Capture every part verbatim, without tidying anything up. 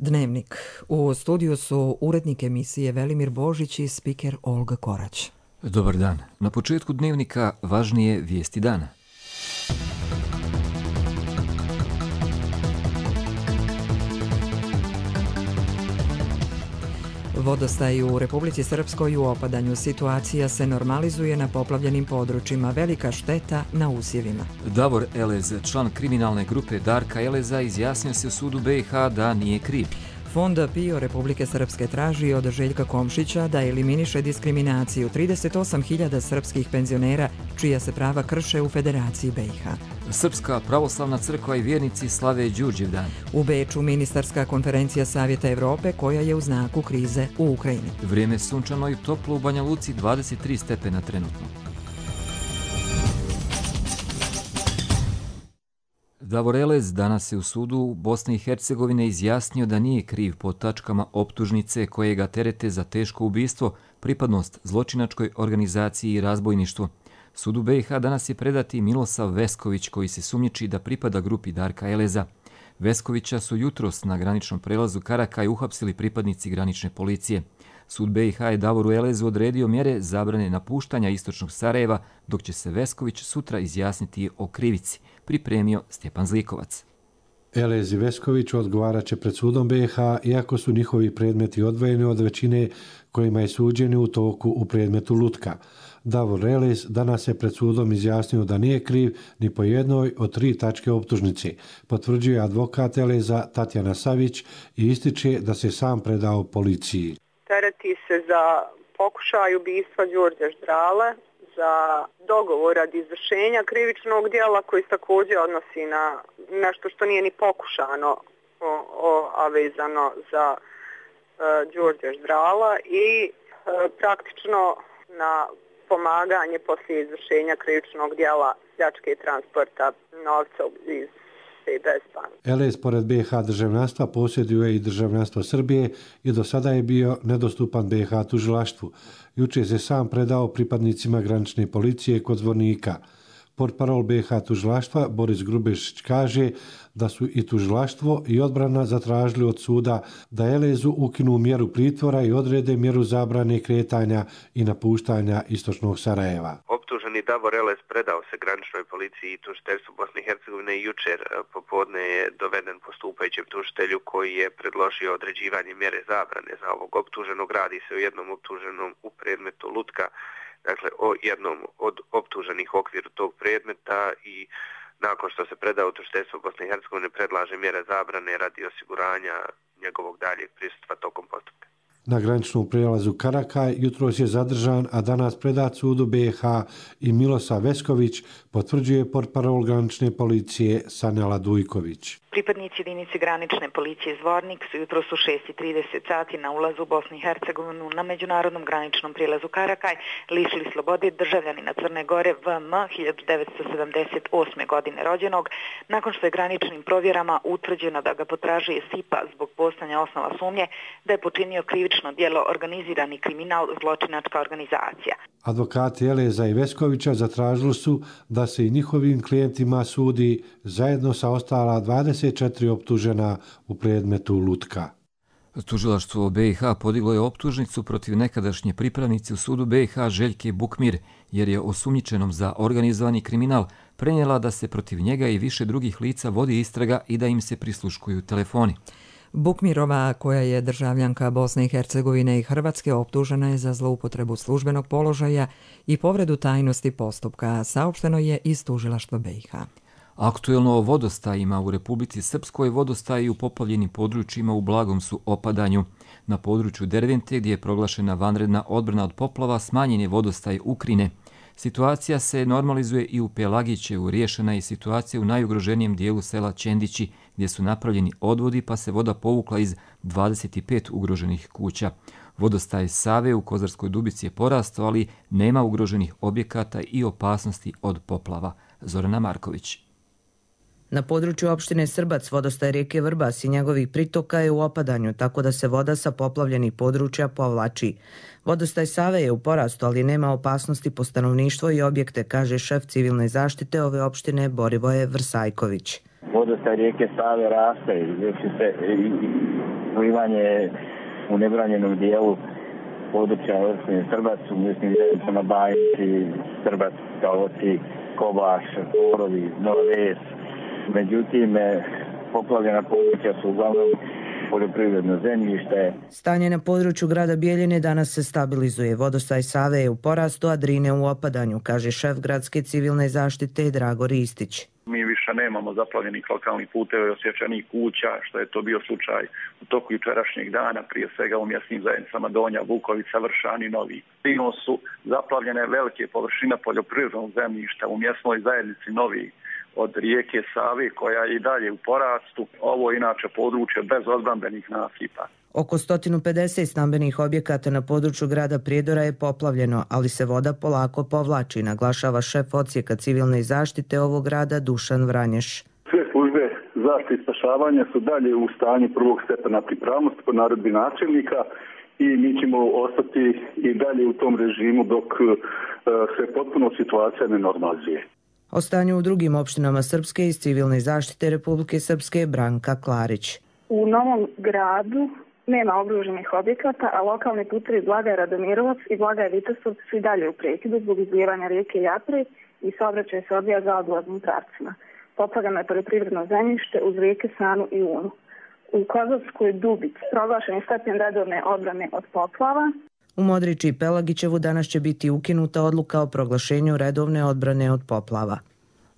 Dnevnik. U studiju su urednik emisije Velimir Božić i spiker Olga Korać. Dobar dan. Na početku Dnevnika važnije vijesti dana. Vodostaj u Republici Srpskoj u opadanju. Situacija se normalizuje na poplavljenim područjima. Velika šteta na usjevima. Davor Elez, član kriminalne grupe Darka Eleza, izjasnio se u sudu B i H da nije kriv. Fond PIO Republike Srpske traži od Željka Komšića da eliminiše diskriminaciju trideset osam hiljada srpskih penzionera čija se prava krše u Federaciji B i H. Srpska pravoslavna crkva i vjernici slave Đurđevdan. U Beču ministarska konferencija Savjeta Evrope koja je u znaku krize u Ukrajini. Vrijeme sunčano i toplo u Banja Luci, dvadeset tri stepena trenutno. Davor Elez danas je u sudu Bosne i Hercegovine izjasnio da nije kriv po tačkama optužnice koje ga terete za teško ubistvo, pripadnost zločinačkoj organizaciji i razbojništvo. Sudu B i H danas je predati Milosav Vesković koji se sumnjiči da pripada grupi Darka Eleza. Veskovića su jutros na graničnom prelazu Karakaj uhapsili pripadnici granične policije. Sud B i H je Davoru Elezu odredio mjere zabrane napuštanja istočnog Sarajeva, dok će se Vesković sutra izjasniti o krivici, pripremio Stjepan Zlikovac. Elez i Vesković odgovarat će pred sudom B i H, iako su njihovi predmeti odvojeni od većine kojima je suđeni u toku u predmetu Lutka. Davor Elez danas je pred sudom izjasnio da nije kriv ni po jednoj od tri tačke optužnice, potvrđuje advokat Eleza Tatjana Savić i ističe da se sam predao policiji. Tereti se za pokušaj ubistva Đorđa Ždrale, za dogovor radi izvršenja krivičnog djela koji se također odnosi na nešto što nije ni pokušano, o, o, a vezano za e, Đorđa Ždrala i e, praktično na pomaganje poslije izvršenja krivičnog djela pljačke transporta novca iz C D S banke. Elez pored B i H državljanstva posjeduje i državljanstvo Srbije i do sada je bio nedostupan B i H tužilaštvu. Juče se sam predao pripadnicima granične policije kod Zvornika. Portparol B i H tužilaštva Boris Grubešić kaže da su i tužilaštvo i odbrana zatražili od suda da Elezu ukinu mjeru pritvora i odrede mjeru zabrane kretanja i napuštanja istočnog Sarajeva. Optuženi Davor Elez predao se graničnoj policiji i tužiteljstvu Bosne i Hercegovine i jučer popodne je doveden postupajućem tužitelju koji je predložio određivanje mjere zabrane za ovog optuženog. Radi se o jednom optuženom u predmetu Lutka, dakle o jednom od optuženih u okviru tog predmeta, i nakon što se predao u tužiteljstvo Bosne i Hercegovine predlaže mjere zabrane radi osiguranja njegovog daljeg prisustva tokom postupka. Na graničnom prijelazu Karakaj jutros je zadržan, a danas predat sudu B i H i Milosav Vesković, potvrđuje portparol granične policije Sanela Dujković. Pripadnici jedinice granične policije Zvornik su jutros u šest i trideset sati na ulazu u Bosnu i Hercegovinu na međunarodnom graničnom prijelazu Karakaj lišili slobode državljanina Crne Gore V M hiljadu devetsto sedamdeset osme. godine rođenog, nakon što je graničnim provjerama utvrđeno da ga potražuje S I P A zbog postojanja osnova sumnje da je počinio krivično djelo organizirani kriminal zločinačka organizacija. Advokati Eleza i Veskovića zatražili su da se i njihovim klijentima sudi zajedno sa ostala dvadeset četiri optužena u predmetu Lutka. Tužilaštvo B i H podiglo je optužnicu protiv nekadašnje pripravnice u sudu B i H Željke Bukmir, jer je osumnjičenom za organizovani kriminal prenijela da se protiv njega i više drugih lica vodi istraga i da im se prisluškuju telefoni. Bukmirova, koja je državljanka Bosne i Hercegovine i Hrvatske, optužena je za zloupotrebu službenog položaja i povredu tajnosti postupka, saopšteno je iz tužilaštva B i H. Aktuelno o vodostajima u Republici Srpskoj. Vodostaji u poplavljenim područjima u blagom su opadanju. Na području Dervente, gdje je proglašena vanredna odbrana od poplava, smanjen je vodostaj Ukrine. Situacija se normalizuje i u Pelagićevu. Riješena je situacija u najugroženijem dijelu sela Čendići, gdje su napravljeni odvodi pa se voda povukla iz dvadeset pet ugroženih kuća. Vodostaj Save u Kozarskoj Dubici je porastao, ali nema ugroženih objekata i opasnosti od poplava. Zorana Marković. Na području opštine Srbac vodostaj rijeke Vrbas i njegovih pritoka je u opadanju, tako da se voda sa poplavljenih područja povlači. Vodostaj Save je u porastu, ali nema opasnosti po stanovništvo i objekte, kaže šef civilne zaštite ove opštine Borivoje Vrsajković. Vodostaj rijeke Save raste i vrši se slivanje u nebranjenom dijelu područja opštine Srbac, u mjesnim zajednicama Bajići, Srbac, Kaloci, Kobaš, Korovi, Nova Ves. Međutim, poplavljena područja su uglavnom poljoprivredno zemljište. Stanje na području grada Bijeljine danas se stabilizuje. Vodostaj Save je u porastu, a Drine u opadanju, kaže šef gradske civilne zaštite Drago Ristić. Mi više nemamo zaplavljenih lokalnih puteva i osjećanih kuća, što je to bio slučaj u toku jučerašnjeg dana, prije svega u mjesnim zajednicama Donja, Vukovica, Vršan i Novi. Stigno su zaplavljene velike površine poljoprivrednog zemljišta u mjesnoj zajednici Novi od rijeke Save, koja je i dalje u porastu. Ovo je inače područje bez odbrambenih nasipa. Oko sto pedeset stambenih objekata na području grada Prijedora je poplavljeno, ali se voda polako povlači, naglašava šef odsjeka civilne zaštite ovog grada Dušan Vranješ. Sve službe zaštite i spašavanja su dalje u stanju prvog stepena pripravnosti po naredbi načelnika i mi ćemo ostati i dalje u tom režimu dok se potpuno situacija ne normalizuje. O stanju u drugim opštinama Srpske iz civilne zaštite Republike Srpske Branka Klarić. U Novom Gradu nema obruženih objekata, a lokalni putevi Blagaj Radomirovac i Blagaj Vitosov su i dalje u prekidu zbog izlijevanja rijeke Japre i saobraćaj se odvija zaobilaznim pravcima. Poplavljeno je poljoprivredno zemljište uz rijeke Sanu i Unu. U Kozovskoj Dubici proglašen je stepen redovne odbrane od poplava. U Modriči i Pelagićevu danas će biti ukinuta odluka o proglašenju redovne odbrane od poplava.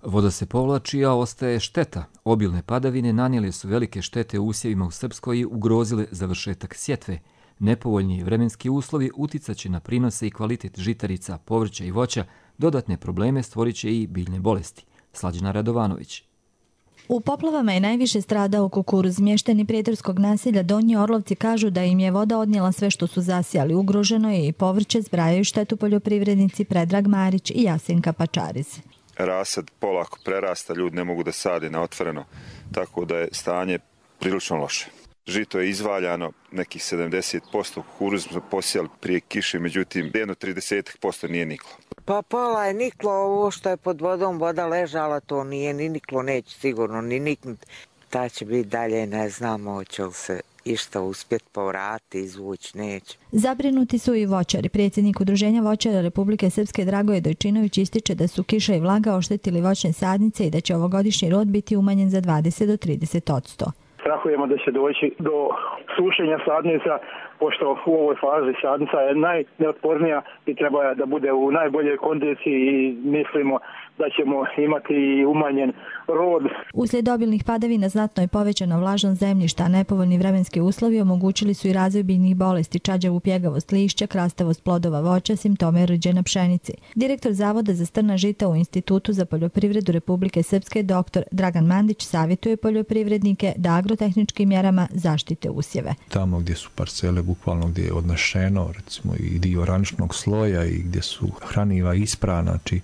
Voda se povlači, a ostaje šteta. Obilne padavine nanijele su velike štete usjevima u Srpskoj i ugrozile završetak sjetve. Nepovoljni vremenski uslovi uticaće na prinose i kvalitet žitarica, povrća i voća, dodatne probleme stvorit će i biljne bolesti. Slađana Radovanović. U poplavama je najviše stradao kukuruz. Mještani prijedorskog naselja Donji Orlovci kažu da im je voda odnijela sve što su zasijali. Ugroženo je i povrće, zbrajaju štetu poljoprivrednici Predrag Marić i Jasenka Pačariz. Rasad polako prerasta, ljudi ne mogu da sade na otvoreno, tako da je stanje prilično loše. Žito je izvaljano, nekih sedamdeset posto, kukuruz smo posijali prije kiše, međutim jedno trideset posto nije niklo. Pa pola je niklo, ovo što je pod vodom voda ležala, to nije ni niklo, neće sigurno ni niknuti. Ta će biti dalje, ne znamo, hoće li se išta uspjeti povrati, izvući, neće. Zabrinuti su i voćari. Predsjednik Udruženja voćara Republike Srpske Dragoje Dojčinović ističe da su kiša i vlaga oštetili voćne sadnice i da će ovogodišnji rod biti umanjen za dvadeset do trideset odsto. Strahujemo da će doći do sušenja sadnica, pošto u ovoj fazi sadnica je najneotpornija i treba da bude u najboljoj kondiciji i mislimo da ćemo imati i umanjen rod. Uslijed obilnih padavina znatno je povećana vlažnost zemljišta, a nepovoljni vremenski uslovi omogućili su i razvoj biljnih bolesti, čađavu pjegavost lišća, krastavost plodova voća, simptome rđe na pšenici. Direktor Zavoda za strna žita u Institutu za poljoprivredu Republike Srpske dr. Dragan Mandić savjetuje poljoprivrednike da agrotehničkim mjerama zaštite usjeve. Tamo gdje su parcele bukvalno gdje je odnešeno, recimo i dio oraničnog sloja i gdje su hraniva isprana, znači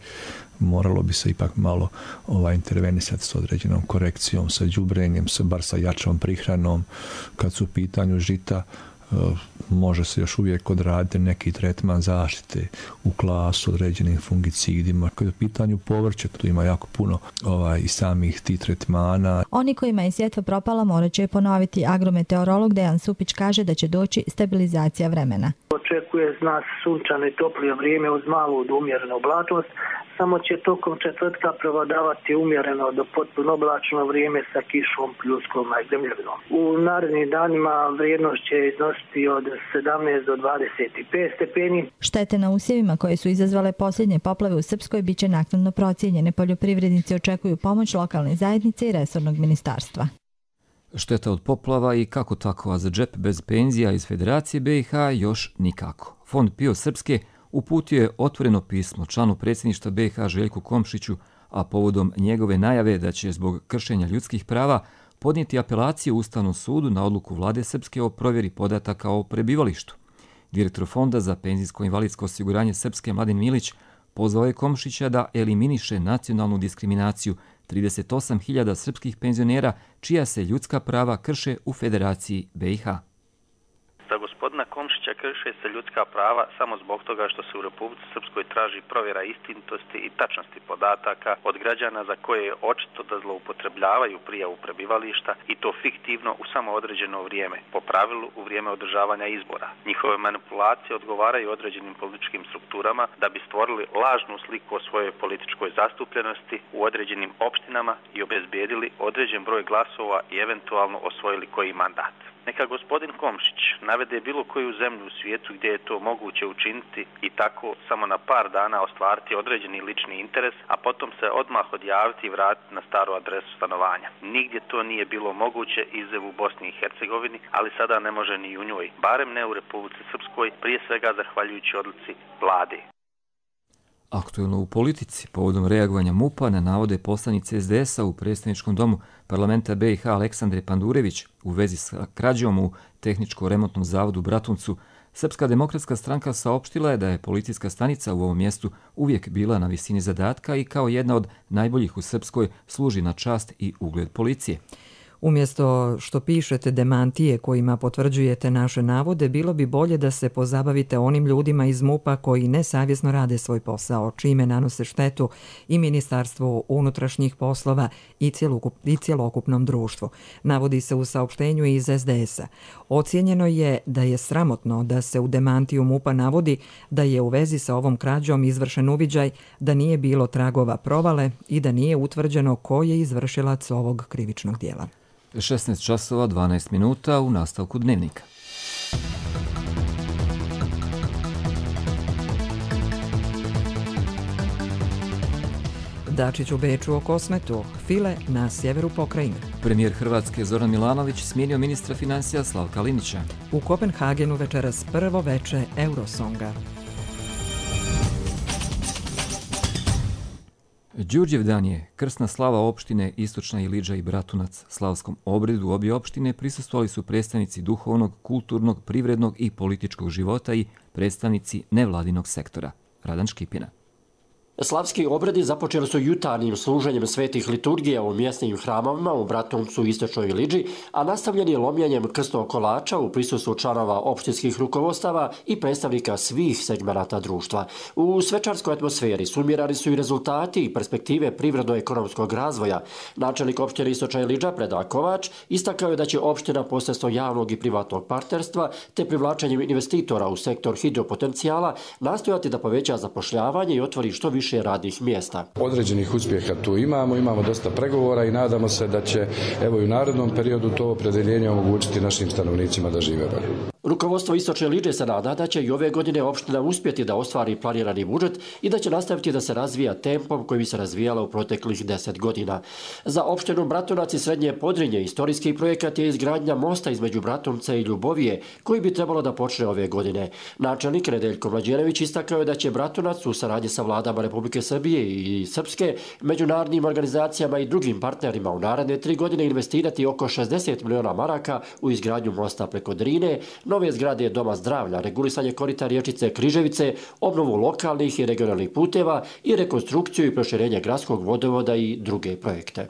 moralo bi se ipak malo ovaj, intervenisati s određenom korekcijom, sa đubrenjem, sa, bar sa jačom prihranom. Kad su u pitanju žita, e, može se još uvijek odraditi neki tretman zaštite u klasu određenim fungicidima. Kad je u pitanju povrće, tu ima jako puno ovaj, i samih tih tretmana. Oni kojima je sjetva propala morat će ponoviti. Agrometeorolog Dejan Supić kaže da će doći stabilizacija vremena. Očekuje nas sunčano i toplije vrijeme uz malu do umjerenu oblačnost, samo će tokom četvrtka prevladavati umjereno do potpuno oblačno vrijeme sa kišom, pljuskom i zemljovinom. U narednim danima vrijednost će iznositi od sedamnaest do dvadeset pet stepeni. Štete na usjevima koje su izazvale posljednje poplave u Srpskoj biće naknadno procijenjene. Poljoprivrednici očekuju pomoć lokalne zajednice i resornog ministarstva. Šteta od poplava i kako tako, a za džep bez penzija iz Federacije B i H još nikako. Fond PIO Srpske uputio je otvoreno pismo članu predsjedništva B i H Željku Komšiću, a povodom njegove najave da će zbog kršenja ljudskih prava podnijeti apelaciju Ustavnom sudu na odluku vlade Srpske o provjeri podataka o prebivalištu. Direktor Fonda za penzijsko-invalidsko osiguranje Srpske Mladen Milić pozvao je Komšića da eliminiše nacionalnu diskriminaciju trideset osam hiljada srpskih penzionera čija se ljudska prava krše u Federaciji B i H. Za gospodina Komšića Komšića krše se ljudska prava samo zbog toga što se u Republici Srpskoj traži provjera istinitosti i tačnosti podataka od građana za koje je očito da zloupotrebljavaju prijavu prebivališta i to fiktivno u samo određeno vrijeme, po pravilu u vrijeme održavanja izbora. Njihove manipulacije odgovaraju određenim političkim strukturama da bi stvorili lažnu sliku o svojoj političkoj zastupljenosti u određenim opštinama i obezbijedili određen broj glasova i eventualno osvojili koji mandat. Neka gospodin Komšić navede bilo koju zemlju u svijetu gdje je to moguće učiniti i tako samo na par dana ostvariti određeni lični interes, a potom se odmah odjaviti i vratiti na staru adresu stanovanja. Nigdje to nije bilo moguće izuzev u Bosni i Hercegovini, ali sada ne može ni u njoj, barem ne u Republici Srpskoj, prije svega zahvaljujući odluci vlade. Aktuelno u politici, povodom reagovanja MUP-a na navode poslanice S D S-a u predstavničkom domu parlamenta B i H Aleksandre Pandurević u vezi sa krađom u tehničko-remontnom zavodu Bratuncu, Srpska demokratska stranka saopštila je da je policijska stanica u ovom mjestu uvijek bila na visini zadatka i kao jedna od najboljih u Srpskoj služi na čast i ugled policije. Umjesto što pišete demantije kojima potvrđujete naše navode, bilo bi bolje da se pozabavite onim ljudima iz MUP-a koji nesavjesno rade svoj posao, čime nanose štetu i Ministarstvu unutrašnjih poslova i, cjelokup, i cjelokupnom društvu. Navodi se u saopštenju iz S D S-a. Ocijenjeno je da je sramotno da se u demantiju MUP-a navodi da je u vezi sa ovom krađom izvršen uviđaj, da nije bilo tragova provale i da nije utvrđeno ko je izvršilac ovog krivičnog dijela. šesnaest časova dvanaest minuta u nastavku dnevnika. Dačić u Beču o Kosmetu, file na sjeveru pokrajine. Premijer Hrvatske Zoran Milanović smijenio ministra financija Slavka Linića. U Kopenhagenu večeras prvo veče Eurosonga. Đurđev dan je krsna slava opštine Istočna Ilidža i Bratunac. Slavskom obredu obje opštine prisustvovali su predstavnici duhovnog, kulturnog, privrednog i političkog života i predstavnici nevladinog sektora. Radan Škipina. Slavski obredi započeli su jutarnjim služenjem svetih liturgija u mjesnim hramovima u Bratuncu i Istočnoj Ilidži, a nastavljen je lomljenjem krstnog kolača u prisustvu članova opštinskih rukovodstava i predstavnika svih segmenata društva. U svečarskoj atmosferi sumirani su i rezultati i perspektive privredno-ekonomskog razvoja. Načelnik opštine Istočna Ilidža Predrag Kovač istakao je da će opština posredstvom javnog i privatnog partnerstva te privlačenjem investitora u sektor hidropotencijala nastojati da poveća zapošljavanje i otvori što više radnih mjesta. Određenih uspjeha tu imamo, imamo dosta pregovora i nadamo se da će evo i u narednom periodu to opredjeljenje omogućiti našim stanovnicima da žive bolje. Rukovodstvo Istočne Ilidže se nada da će i ove godine opština uspjeti da ostvari planirani budžet i da će nastaviti da se razvija tempom koji bi se razvijala u proteklih deset godina. Za opštinu Bratunac i Srednje Podrinje istorijski projekat je izgradnja mosta između Bratunca i Ljubovije, koji bi trebalo da počne ove godine. Načelnik Nedeljko Mlađenović istakao je da će Bratunac u saradnji sa vladama Republike Srbije i Srpske, međunarodnim organizacijama i drugim partnerima u naredne tri godine investirati oko šezdeset miliona maraka u izgradnju mosta preko Drine, nove zgrade Doma zdravlja, regulisanje korita riječice Križevice, obnovu lokalnih i regionalnih puteva i rekonstrukciju i proširenje gradskog vodovoda i druge projekte.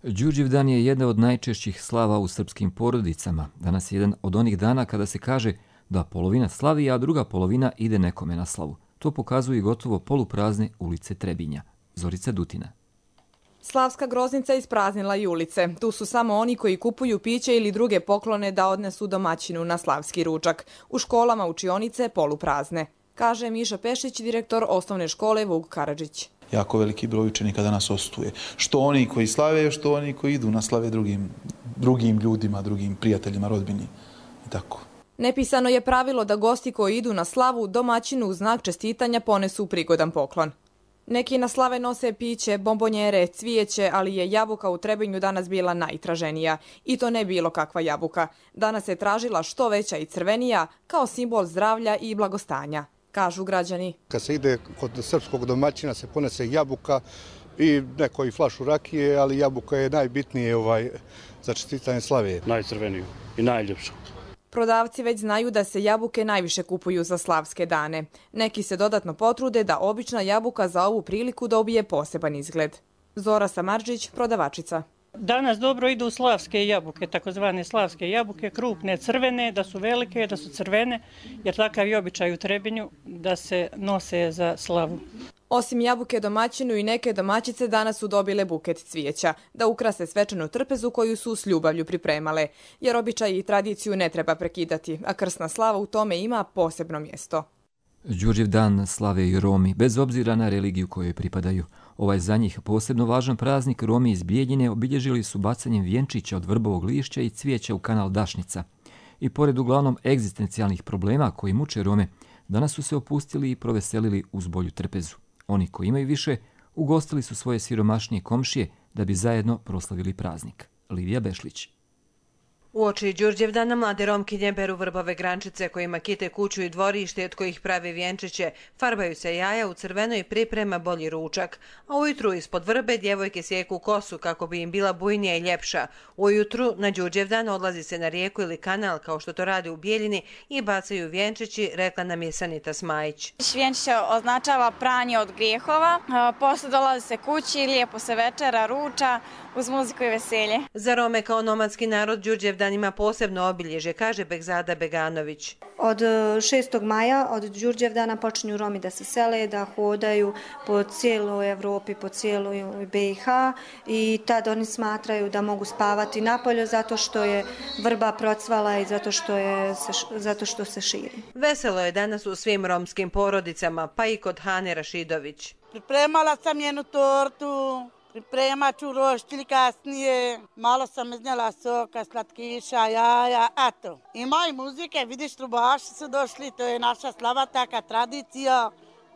Đurđev dan je jedna od najčešćih slava u srpskim porodicama. Danas je jedan od onih dana kada se kaže da polovina slavi, a druga polovina ide nekome na slavu. To pokazuju i gotovo poluprazne ulice Trebinja. Zorica Dutina. Slavska groznica ispraznila i ulice. Tu su samo oni koji kupuju piće ili druge poklone da odnesu domaćinu na slavski ručak. U školama učionice poluprazne, kaže Miša Pešić, direktor osnovne škole Vuk Karadžić. Jako veliki broj učenika danas ostuje. Što oni koji slave, što oni koji idu na slave drugim, drugim ljudima, drugim prijateljima, rodbini i tako. Nepisano je pravilo da gosti koji idu na slavu domaćinu u znak čestitanja ponesu prigodan poklon. Neki na slave nose piće, bombonjere, cvijeće, ali je jabuka u Trebinju danas bila najtraženija. I to ne bilo kakva jabuka. Danas je tražila što veća i crvenija kao simbol zdravlja i blagostanja, kažu građani. Kad se ide kod srpskog domaćina se ponese jabuka i neko i flašu rakije, ali jabuka je najbitnije ovaj, za čestitanje slave. Najcrveniju i najljepšu. Prodavci već znaju da se jabuke najviše kupuju za slavske dane. Neki se dodatno potrude da obična jabuka za ovu priliku dobije poseban izgled. Zora Samarđić, prodavačica. Danas dobro idu slavske jabuke, takozvane slavske jabuke, krupne, crvene, da su velike, da su crvene, jer takav je običaj u Trebinju da se nose za slavu. Osim jabuke domaćinu i neke domaćice danas su dobile buket cvijeća, da ukrase svečanu trpezu koju su s ljubavlju pripremale, jer običaj i tradiciju ne treba prekidati, a krsna slava u tome ima posebno mjesto. Đurđev dan slave i Romi, bez obzira na religiju kojoj pripadaju. Ovaj za njih posebno važan praznik Romi iz Bijeljine obilježili su bacanjem vjenčića od vrbovog lišća i cvijeća u kanal Dašnica. I pored uglavnom egzistencijalnih problema koji muče Rome, danas su se opustili i proveselili uz bolju trpezu. Oni koji imaju više, ugostili su svoje siromašnije komšije da bi zajedno proslavili praznik. Lidija Bešlić. Uoči Đurđevdana mlade Romkinje beru vrbove grančice kojima kite kuću i dvorište od kojih pravi vjenčiće, farbaju se jaja u crveno i priprema bolji ručak, a ujutru ispod vrbe djevojke sjeku kosu kako bi im bila bujnija i ljepša. Ujutru na Đurđevdan odlazi se na rijeku ili kanal kao što to rade u Bijeljini i bacaju vjenčići, rekla nam je Sanita Smajić. Vjenčiće označava pranje od grijehova, posle dolazi se kući, lijepo se večera, ruča uz muziku i veselje. Za Rome kao nomadski narod Đurđevdan ima posebno obilježje, kaže Begzada Beganović. Od šestog maja, od Đurđevdana počinju Romi da se sele, da hodaju po cijeloj Evropi, po cijeloj B i H i tad oni smatraju da mogu spavati napolju zato što je vrba procvala i zato što, je, zato što se širi. Veselo je danas u svim romskim porodicama, pa i kod Hane Rašidović. Pripremala sam jednu tortu. Pripremat ću roštilj kasnije, malo sam iznijela soka, slatkiša, jaja, eto. Ima i muzike, vidiš, trubaši su došli, to je naša slava, taka tradicija.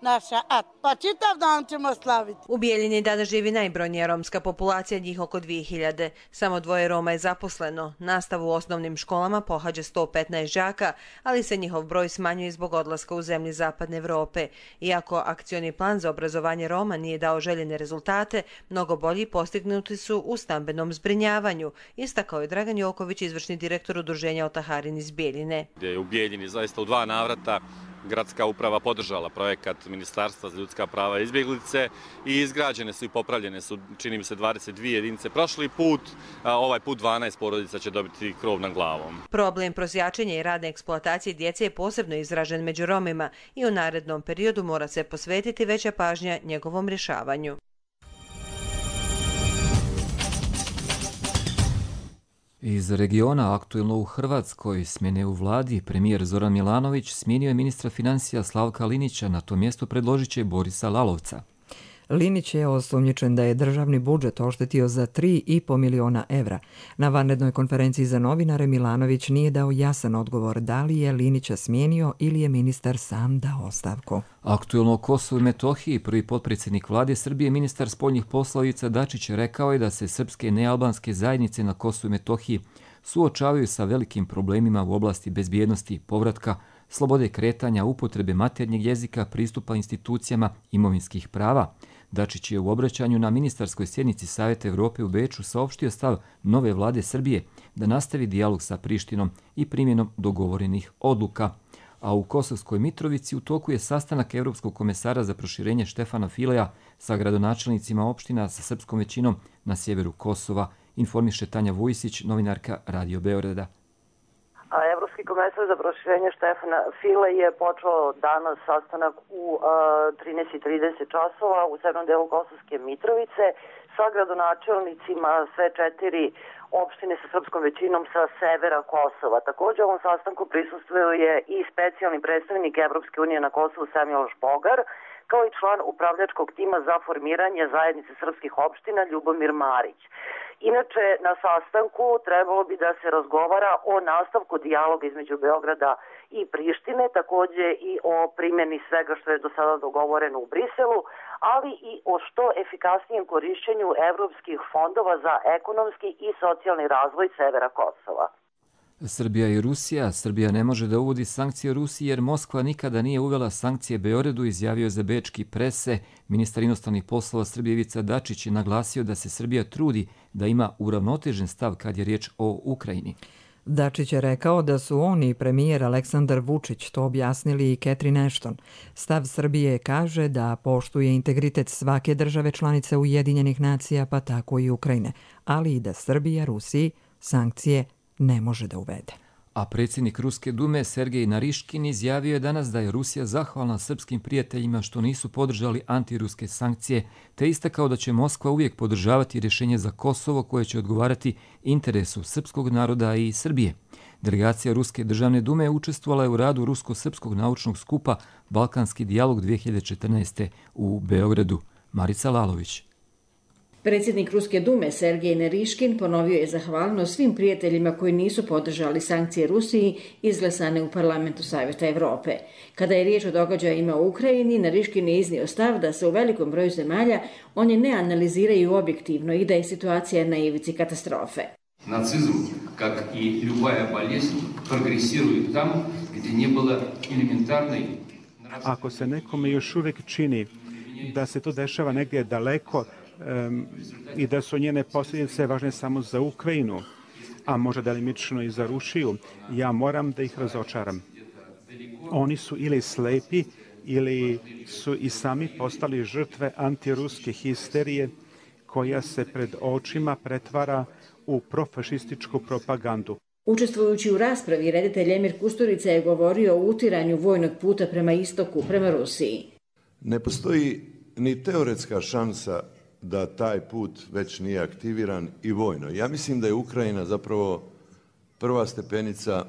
Naša, a pa čitav dan ćemo slaviti. U Bijeljini danas živi najbrojnija romska populacija, njih oko dvije hiljade. Samo dvoje Roma je zaposleno. Nastavu u osnovnim školama pohađa sto petnaest đaka, ali se njihov broj smanjuje zbog odlaska u zemlje zapadne Evrope. Iako akcioni plan za obrazovanje Roma nije dao željene rezultate, mnogo bolji postignuti su u stambenom zbrinjavanju, istakao je Dragan Joković, izvršni direktor udruženja Otaharin iz Bijeljine. U Bijeljini zaista u dva navrata gradska uprava podržala projekat Ministarstva za ljudska prava i izbjeglice i izgrađene su i popravljene su, čini mi se, dvadeset dvije jedinice. Prošli put, ovaj put dvanaest porodica će dobiti krov nad glavom. Problem prosjačenja i radne eksploatacije djece je posebno izražen među Romima i u narednom periodu mora se posvetiti veća pažnja njegovom rješavanju. Iz regiona aktuelno u Hrvatskoj smjene u vladi, premijer Zoran Milanović smijenio je ministra financija Slavka Linića, na to mjesto predložit će Borisa Lalovca. Linić je osumnjičen da je državni budžet oštetio za tri i po miliona evra. Na vanrednoj konferenciji za novinare Milanović nije dao jasan odgovor da li je Linića smijenio ili je ministar sam dao ostavku. Aktuelno o Kosovu i Metohiji prvi potpredsjednik vlade Srbije, ministar spoljnih poslova Ivica Dačić, rekao je da se srpske nealbanske zajednice na Kosovu i Metohiji suočavaju sa velikim problemima u oblasti bezbjednosti, povratka, slobode kretanja, upotrebe maternjeg jezika, pristupa institucijama imovinskih prava. Dačić je u obraćanju na ministarskoj sjednici Savjeta Evrope u Beču saopštio stav nove vlade Srbije da nastavi dijalog sa Prištinom i primjenom dogovorenih odluka. A u Kosovskoj Mitrovici u toku je sastanak Evropskog komesara za proširenje Štefana Fileja sa gradonačelnicima opština sa srpskom većinom na sjeveru Kosova, informiše Tanja Vujisić, novinarka Radio Beograda. Evropski komesar za proširenje Štefana File je počeo danas sastanak u trinaest i trideset časova u severnom delu Kosovske Mitrovice sa gradonačelnicima sve četiri opštine sa srpskom većinom sa severa Kosova. Također ovom sastanku prisustvuje i specijalni predstavnik Evropske unije na Kosovu Samuel Špogar, kao i član upravljačkog tima za formiranje zajednice srpskih opština Ljubomir Marić. Inače, na sastanku trebalo bi da se razgovara o nastavku dijaloga između Beograda i Prištine, također i o primjeni svega što je do sada dogovoreno u Briselu, ali i o što efikasnijem korišćenju evropskih fondova za ekonomski i socijalni razvoj severa Kosova. Srbija i Rusija. Srbija ne može da uvodi sankcije Rusiji jer Moskva nikada nije uvela sankcije Beogradu, izjavio za bečki prese. Ministar inostranih poslova Srbije Ivica Dačić je naglasio da se Srbija trudi da ima uravnotežen stav kad je riječ o Ukrajini. Dačić je rekao da su on i premijer Aleksandar Vučić to objasnili i Catherine Ashton. Stav Srbije kaže da poštuje integritet svake države članice Ujedinjenih nacija, pa tako i Ukrajine, ali i da Srbija Rusiji sankcije ne može da uvede. A predsjednik Ruske dume Sergej Nariškin izjavio je danas da je Rusija zahvalna srpskim prijateljima što nisu podržali antiruske sankcije, te istakao da će Moskva uvijek podržavati rješenje za Kosovo koje će odgovarati interesu srpskog naroda i Srbije. Delegacija Ruske državne dume učestvovala je u radu Rusko-srpskog naučnog skupa Balkanski dijalog dvije hiljade četrnaeste. u Beogradu. Marica Lalović. Predsjednik Ruske dume Sergej Nariškin ponovio je zahvalnost svim prijateljima koji nisu podržali sankcije Rusiji izglasane u parlamentu Savjeta Evrope. Kada je riječ o događajima u Ukrajini, Nariškin je iznio stav da se u velikom broju zemalja oni ne analiziraju objektivno i da je situacija na ivici katastrofe. Nacizam, как и любая болезнь, прогрессирует там, где не было элементарной. Ako se nekome još uvijek čini da se to dešava negdje daleko um, i da su njene posljedice važne samo za Ukrajinu, a možda delimično i za Rusiju, ja moram da ih razočaram. Oni su ili slepi ili su i sami postali žrtve antiruske histerije koja se pred očima pretvara u profašističku propagandu. Učestvujući u raspravi, reditelj Emir Kusturica je govorio o utiranju vojnog puta prema istoku, prema Rusiji. Ne postoji ni teoretska šansa da taj put već nije aktiviran i vojno. Ja mislim da je Ukrajina zapravo prva stepenica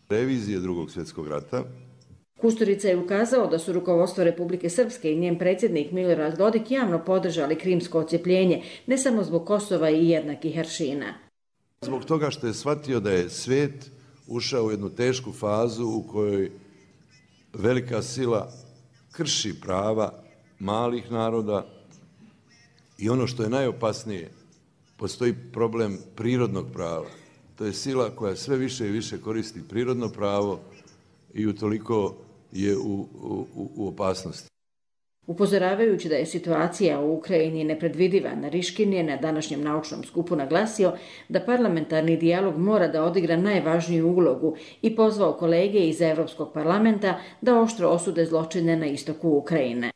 revizije Drugog svjetskog rata. Kusturica je ukazao da su rukovodstvo Republike Srpske i njen predsjednik Milorad Dodik javno podržali krimsko odcjepljenje, ne samo zbog Kosova i jednakih aršina. Zbog toga što je shvatio da je svijet ušao u jednu tešku fazu u kojoj velika sila krši prava malih naroda i ono što je najopasnije, postoji problem prirodnog prava. To je sila koja sve više i više koristi prirodno pravo i utoliko je u, u, u opasnosti. Upozoravajući da je situacija u Ukrajini nepredvidiva, Nariškin je na današnjem naučnom skupu naglasio da parlamentarni dijalog mora da odigra najvažniju ulogu i pozvao kolege iz Evropskog parlamenta da oštro osude zločine na istoku Ukrajine.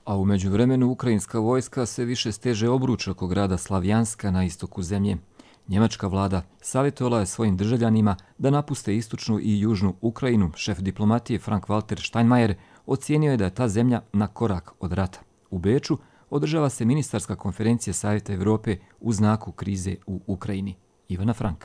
A u međuvremenu ukrajinska vojska sve više steže obruč oko grada Slavjanska na istoku zemlje. Njemačka vlada savjetovala je svojim državljanima da napuste istočnu i južnu Ukrajinu. Šef diplomatije Frank-Walter Steinmeier ocijenio je da je ta zemlja na korak od rata. U Beču održava se ministarska konferencija Savjeta Evrope u znaku krize u Ukrajini. Ivana Frank.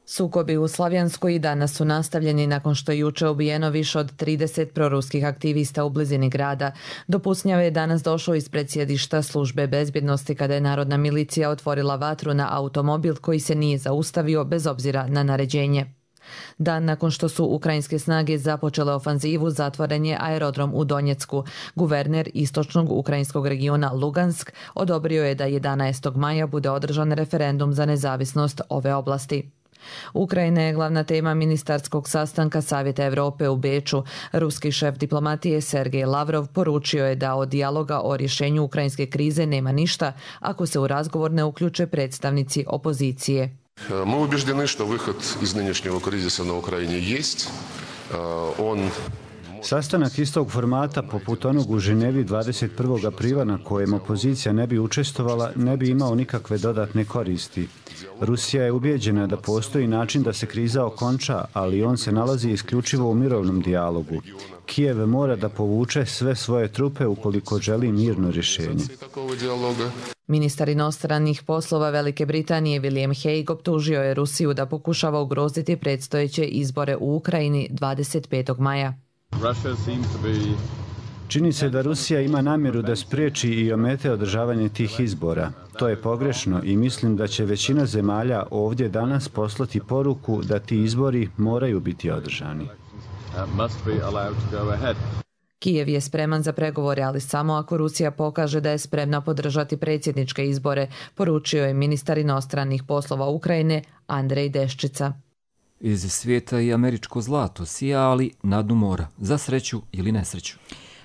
Sukobi u Slavjanskoj i danas su nastavljeni nakon što je juče ubijeno više od trideset proruskih aktivista u blizini grada. Do pucnjave je danas došao ispred sjedišta službe bezbjednosti kada je narodna milicija otvorila vatru na automobil koji se nije zaustavio bez obzira na naređenje. Dan nakon što su ukrajinske snage započele ofanzivu, zatvoren je aerodrom u Donjecku. Guverner istočnog ukrajinskog regiona Lugansk odobrio je da jedanaestog maja bude održan referendum za nezavisnost ove oblasti. Ukrajina je glavna tema ministarskog sastanka Savjeta Evrope u Beču. Ruski šef diplomatije Sergej Lavrov poručio je da od dijaloga o rješenju ukrajinske krize nema ništa ako se u razgovor ne uključe predstavnici opozicije. Мы убеждены, что выход из нынешнего кризиса на Украине есть. Он Sastanak istog formata poput onog u Ženevi dvadeset prvog aprila na kojem opozicija ne bi učestvovala ne bi imao nikakve dodatne koristi. Rusija je ubijeđena da postoji način da se kriza okonča, ali on se nalazi isključivo u mirovnom dijalogu. Kijev mora da povuče sve svoje trupe ukoliko želi mirno rješenje. Ministar inostranih poslova Velike Britanije William Hague optužio je Rusiju da pokušava ugroziti predstojeće izbore u Ukrajini dvadeset petog maja. Čini se da Rusija ima namjeru da spriječi i omete održavanje tih izbora. To je pogrešno i mislim da će većina zemalja ovdje danas poslati poruku da ti izbori moraju biti održani. Kijev je spreman za pregovore, ali samo ako Rusija pokaže da je spremna podržati predsjedničke izbore, poručio je ministar inostranih poslova Ukrajine Andrej Deščica. Iz svijeta i američko zlato sija, ali na dnu mora, za sreću ili nesreću.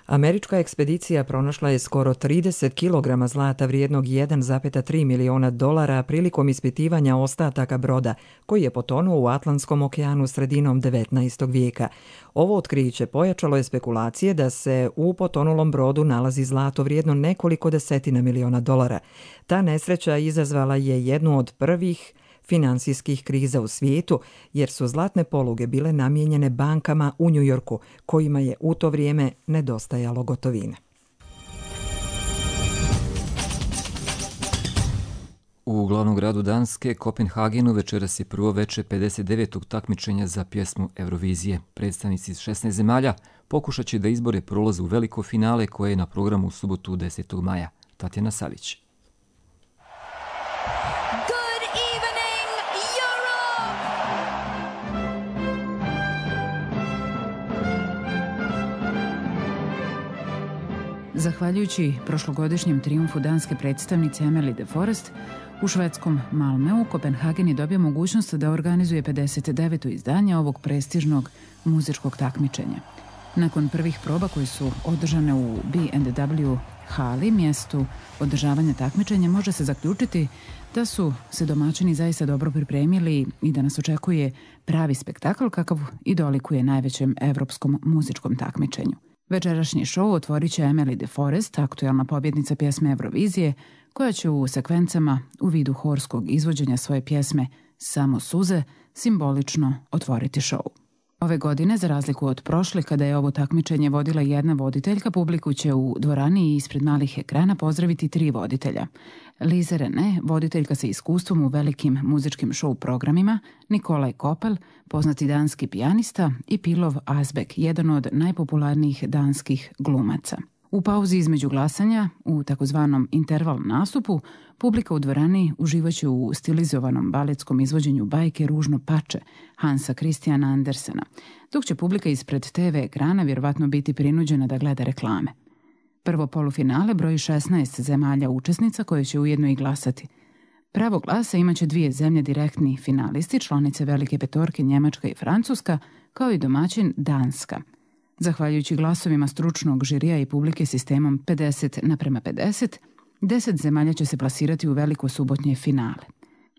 Američka ekspedicija pronašla je skoro trideset kilograma zlata vrijednog jedan zarez tri miliona dolara prilikom ispitivanja ostataka broda koji je potonuo u Atlantskom okeanu sredinom devetnaestog vijeka. Ovo otkriće pojačalo je spekulacije da se u potonulom brodu nalazi zlato vrijedno nekoliko desetina miliona dolara. Ta nesreća izazvala je jednu od prvih finansijskih kriza u svijetu, jer su zlatne poluge bile namijenjene bankama u Njujorku, kojima je u to vrijeme nedostajalo gotovine. U glavnom gradu Danske, Kopenhagenu, večeras je prvo veče pedeset devetog takmičenja za pjesmu Eurovizije. Predstavnici iz šesnaest zemalja pokušat će da izbore prolaz u veliko finale koje je na programu u subotu desetog maja. Tatjana Savić. Zahvaljujući prošlogodišnjem trijumfu danske predstavnice Emily de Forest, u švedskom Malmeu Kopenhagen je dobio mogućnost da organizuje pedeset deveto izdanje ovog prestižnog muzičkog takmičenja. Nakon prvih proba koje su održane u B and W hali, mjestu održavanja takmičenja, može se zaključiti da su se domaćini zaista dobro pripremili i da nas očekuje pravi spektakl kakav i dolikuje najvećem evropskom muzičkom takmičenju. Večerašnji šou otvorit će Emily de Forest, aktualna pobjednica pjesme Eurovizije, koja će u sekvencama u vidu horskog izvođenja svoje pjesme Samo suze simbolično otvoriti šou. Ove godine, za razliku od prošle, kada je ovo takmičenje vodila jedna voditeljka, publiku će u dvorani i ispred malih ekrana pozdraviti tri voditelja. Lise Rene, voditeljka sa iskustvom u velikim muzičkim show programima, Nikolaj Kopel, poznati danski pijanista, i Pilov Asbek, jedan od najpopularnijih danskih glumaca. U pauzi između glasanja, u takozvanom interval nastupu, publika u dvorani uživaće u stilizovanom baletskom izvođenju bajke Ružno pače Hansa Christiana Andersena, dok će publika ispred te ve ekrana vjerovatno biti prinuđena da gleda reklame. Prvo polufinale broji šesnaest zemalja učesnica koje će ujedno i glasati. Pravo glasa imaće dvije zemlje direktni finalisti, članice Velike petorke Njemačka i Francuska, kao i domaćin Danska. Zahvaljujući glasovima stručnog žirija i publike sistemom pedeset naprema pedeset, deset zemalja će se plasirati u veliko subotnje finale.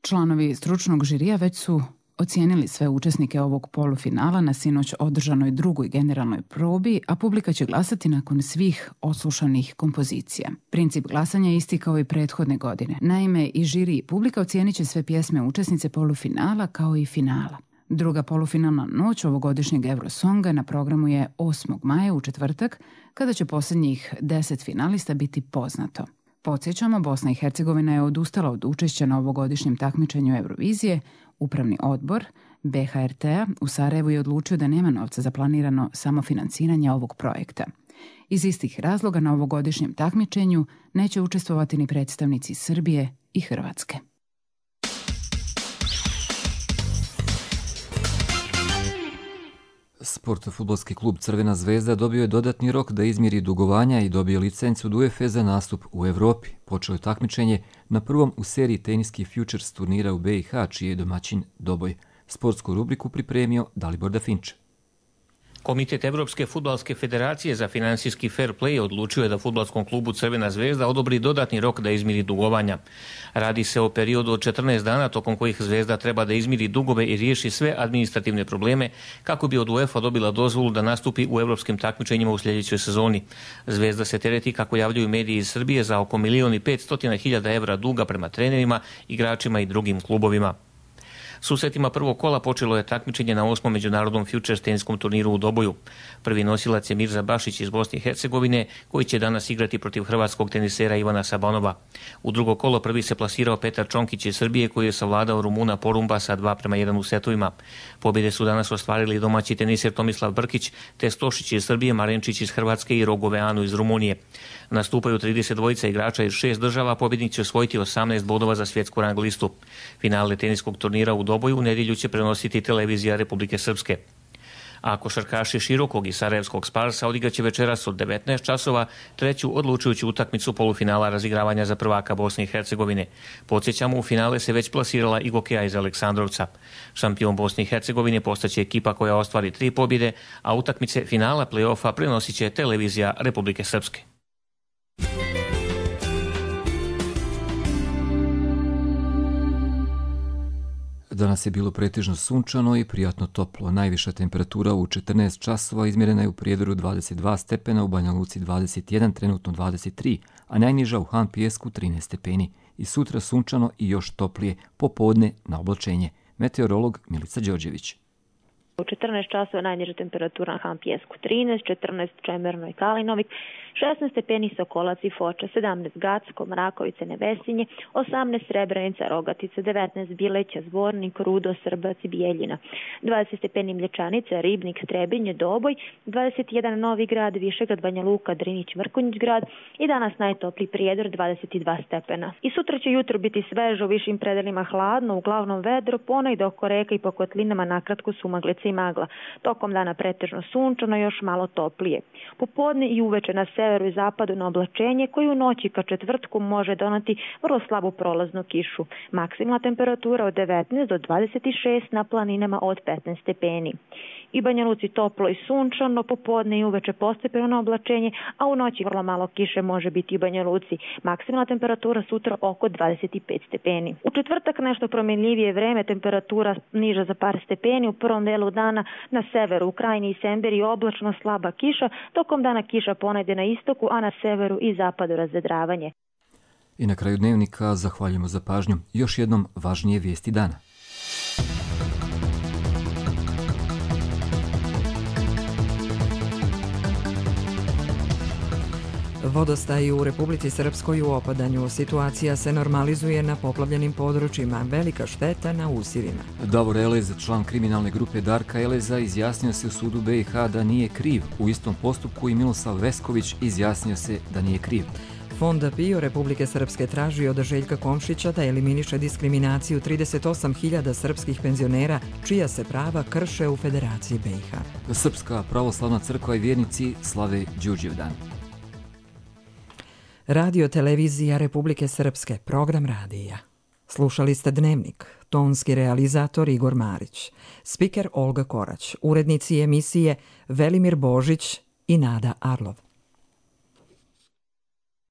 Članovi stručnog žirija već su ocijenili sve učesnike ovog polufinala na sinoć održanoj drugoj generalnoj probi, a publika će glasati nakon svih odslušanih kompozicija. Princip glasanja je isti kao i prethodne godine. Naime, i žiri i publika ocijenit će sve pjesme učesnice polufinala kao i finala. Druga polufinalna noć ovogodišnjeg Eurosonga na programu je osmog maja u četvrtak, kada će posljednjih deset finalista biti poznato. Podsjećamo, Bosna i Hercegovina je odustala od učešća na ovogodišnjem takmičenju Eurovizije. Upravni odbor be ha er te-a u Sarajevu je odlučio da nema novca za planirano samofinanciranje ovog projekta. Iz istih razloga na ovogodišnjem takmičenju neće učestvovati ni predstavnici Srbije i Hrvatske. Sport fudbalski klub Crvena zvezda dobio je dodatni rok da izmiri dugovanja i dobije licencu od u ef e za nastup u Evropi. Počelo je takmičenje na prvom u seriji teniskih Futures turnira u be i ha, čiji je domaćin Doboj. Sportsku rubriku pripremio Dalibor Dafinč. Komitet Evropske fudbalske federacije za finansijski fair play odlučio je da fudbalskom klubu Crvena zvezda odobri dodatni rok da izmiri dugovanja. Radi se o periodu od četrnaest dana tokom kojih Zvezda treba da izmiri dugove i riješi sve administrativne probleme kako bi od UEFA dobila dozvolu da nastupi u evropskim takmičenjima u sljedećoj sezoni. Zvezda se tereti, kako javljaju mediji iz Srbije, za oko milion i petsto hiljada evra duga prema trenerima, igračima i drugim klubovima. Susretima prvog kola počelo je takmičenje na osmom međunarodnom Futures teniskom turniru u Doboju. Prvi nosilac je Mirza Bašić iz Bosne i Hercegovine, koji će danas igrati protiv hrvatskog tenisera Ivana Sabanova. U drugo kolo prvi se plasirao Petar Čonkić iz Srbije, koji je savladao Rumuna Porumba sa dva prema jedan u setovima. Pobjede su danas ostvarili domaći teniser Tomislav Brkić, te Stošić iz Srbije, Marenčić iz Hrvatske i Rogoveanu iz Rumunije. Nastupaju trideset dvojica igrača iz šest država, pobjednik će osvojiti osamnaest bodova za svjetsku rang listu. Finale teniskog turnira u Doboju u nedjelju će prenositi televizija Republike Srpske. A košarkaši Širokog i Sarajevskog Sparsa odigraće večeras od devetnaest časova treću odlučujuću utakmicu polufinala razigravanja za prvaka Bosne i Hercegovine. Podsjećamo, u finale se već plasirala i Gokeja iz Aleksandrovca. Šampion Bosne i Hercegovine postaće ekipa koja ostvari tri pobjede, a utakmice finala play-offa prenosit će televizija Republike Srpske. Danas je bilo pretežno sunčano i prijatno toplo. Najviša temperatura u četrnaest časova izmjerena je u Prijedoru dvadeset dva stepena, u Banja Luci dvadeset jedan, trenutno dvadeset tri, a najniža u Han Pijesku trinaest stepeni. I sutra sunčano i još toplije, popodne na oblačenje. Meteorolog Milica Đorđević. U četrnaest časova najniža temperatura na Han Pijesku trinaest, četrnaest Čemerno i Kalinovik, šesnaest stepeni Sokolac i Foča, sedamnaest Gacko, Mrakovice, Nevesinje, osamnaest Srebrenica, Rogatica, devetnaest Bileća, Zvornik, Rudo, Srbac i Bijeljina, dvadeset stepeni Mlječanica, Ribnik, Strebinje, Doboj, dvadeset jedan Novi Grad, Višegrad, Banja Luka, Drinić, Mrkonjić grad i danas najtopliji Prijedor dvadeset dva stepena. I sutra će jutro biti sveže, u višim predelima hladno, uglavnom vedro, ponegde oko reka i po kotlinama nakratko sumaglice i magla. Tokom dana pretežno sunčano, još malo toplije. Popodne i uveče na severu i zapadu na oblačenje, koji u noći ka četvrtku može donati vrlo slabu prolaznu kišu. Maksimalna temperatura od devetnaest do dvadeset šest, na planinama od petnaest stepeni. I Banja Luci toplo i sunčano, popodne i uveče postepeno na oblačenje, a u noći vrlo malo kiše može biti i Banja Luci. Maksimalna temperatura sutra oko dvadeset pet stepeni. U četvrtak nešto promjenljivije vreme, temperatura niža za par stepeni, u prvom delu dana na severu, u Krajini i Semberi oblačno slaba kiša, tokom dana kiša ponegde na istoku, a na severu i zapadu razvedravanje. I na kraju dnevnika zahvaljujemo za pažnju. Još jednom važnije vijesti dana. Vodostaj u Republici Srpskoj u opadanju. Situacija se normalizuje na poplavljenim područjima. Velika šteta na usjevima. Davor Elez, član kriminalne grupe Darka Eleza, izjasnio se u sudu B i H da nije kriv. U istom postupku i Milosav Vesković izjasnio se da nije kriv. Fond PIO Republike Srpske traži od Željka Komšića da eliminiše diskriminaciju trideset osam hiljada srpskih penzionera čija se prava krše u Federaciji B i H. Srpska pravoslavna crkva i vjernici slave Đurđevdan. Radio televizija Republike Srpske, program radija. Slušali ste Dnevnik, tonski realizator Igor Marić, spiker Olga Korać, urednici emisije Velimir Božić i Nada Arlov.